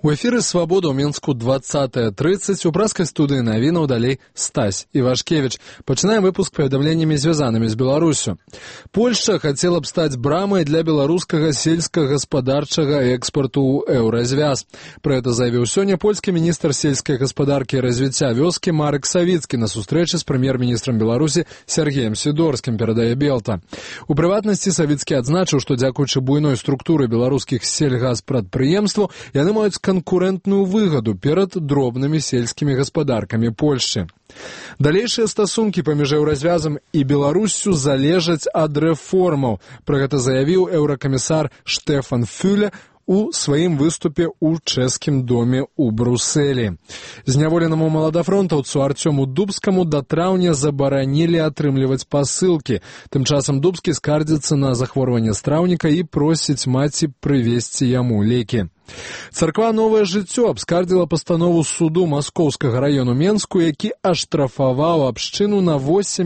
У эфіры «Свабода» ў Мінску 20:30. У праскай студыі навінаў далей Стась Івашкевіч. Пачынаем выпуск паведамленнямі, звязанымі з Беларусю. Польшча хацела б стаць брамай для беларускага сельскагаспадарчага экспарту ў еўразвяз. Пра гэта заявіў сёння польскі міністр сельскай гаспадаркі і развіцця вёскі Марек Савіцкі на сустрэчы з прэм'ер-міністрам Беларусі Сергеем Сідорскім, перадае Белта. У прыватнасці Савіцкі адзначыў, што дзякуючы буйной структуры беларускіх сельгаспрадпрыемстваў яны маюць канкурэнтную выгаду перад дробнымі сельскімі гаспадаркамі Польшчы. Далейшыя стасункі паміж еўразвязам і Беларуссю залежаць ад рэформаў. Пра гэта заявіў еўракамісар Штэфан Фюле у сваім выступе ў чэшскім доме ў Брусэлі. Зняволенаму маладафронтаўцу Артёму Дубскаму да траўня забаранілі атрымліваць пасылкі. Тым часам Дубскі скардзіцца на захворванне страўніка і просіць маці прывезці яму лекі. Царква «Новае жыццё» абскардзіла пастанову суду Маскоўскага раёну Менску, які аштрафаваў абшчыну на 8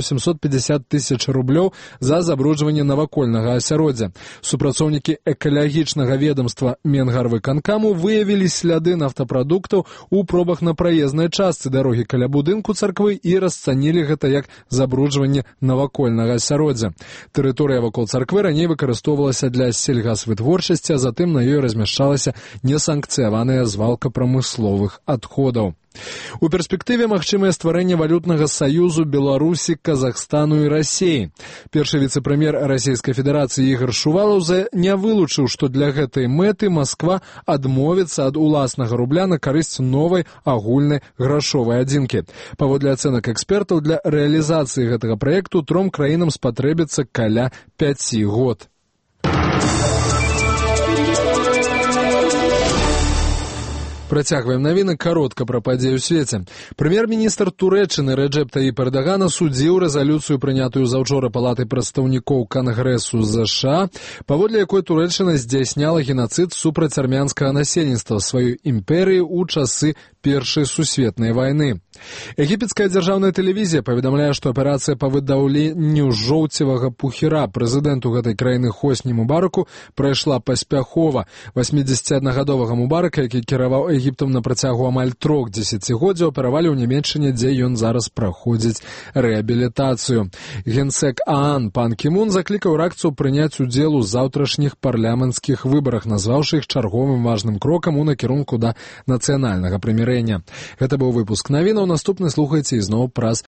750 000 рублёў за забруджванне навакольнага асяроддзя. Супрацоўнікі экалагічнага ведомства Менгарвыканкаму выявілі сляды нафтапрадуктаў у пробах на праезнай частцы дарогі каля будынку царквы і расцанілі гэта як забруджванне навакольнага асяроддзя. Тэрыторыя вакол царквы раней выкарыстоўвалася для сельгасвытворчасці, а затым на ёй размяшчалася несанкцыяваная звалка прамысловых адходаў. У перспектыве магчымае стварэнне валютнага саюзу Беларусі, Казахстану і Расіі. Першы віцэ-прэм'ер Расійскай Федэрацыі Ігар Шувалаў не вылучыў, што для гэтай мэты Масква адмовіцца ад уласнага рубля на карысць новай агульнай грашовай адзінкі. Паводле ацэнак экспертаў, для рэалізацыі гэтага праекту тром краінам спатрэбіцца каля 5 год. Працягваем навіны каротка пра падзеі ў свеце. Прэм'ер-міністр Турэччыны Рэджэп Таіп Эрдаган асудзіў рэзалюцыю, прынятую заўчора Палатай прадстаўнікоў Кангрэсу США, паводле якой Турэччына здзяйсняла генацыд супраць армянскага насельніцтва сваёй імперыі ў часы Першай сусветнай вайны. Егіпецкая дзяржаўная тэлевізія паведамляе, што аперацыя па выдаўленню жоўцевага пухіра прэзідэнту гэтай краіны Хосні Мубараку прайшла паспяхова. 81-гадовага Мубарака, які кіраваў Егіптам на працягу амаль 3 дзесяцігоддзяў, аперавалі ў Нямецчыне, дзе ён зараз праходзіць рэабілітацыю. Генсек ААН пан Кімун заклікаў іракцаў прыняць удзел у заўтрашніх парламенцкіх выбарах, назваўшы іх чарговым важным крокам у накірунку да нацыянальнага прымірэння. Гэта быў выпуск навінаў. Наступны слухайце ізноў праз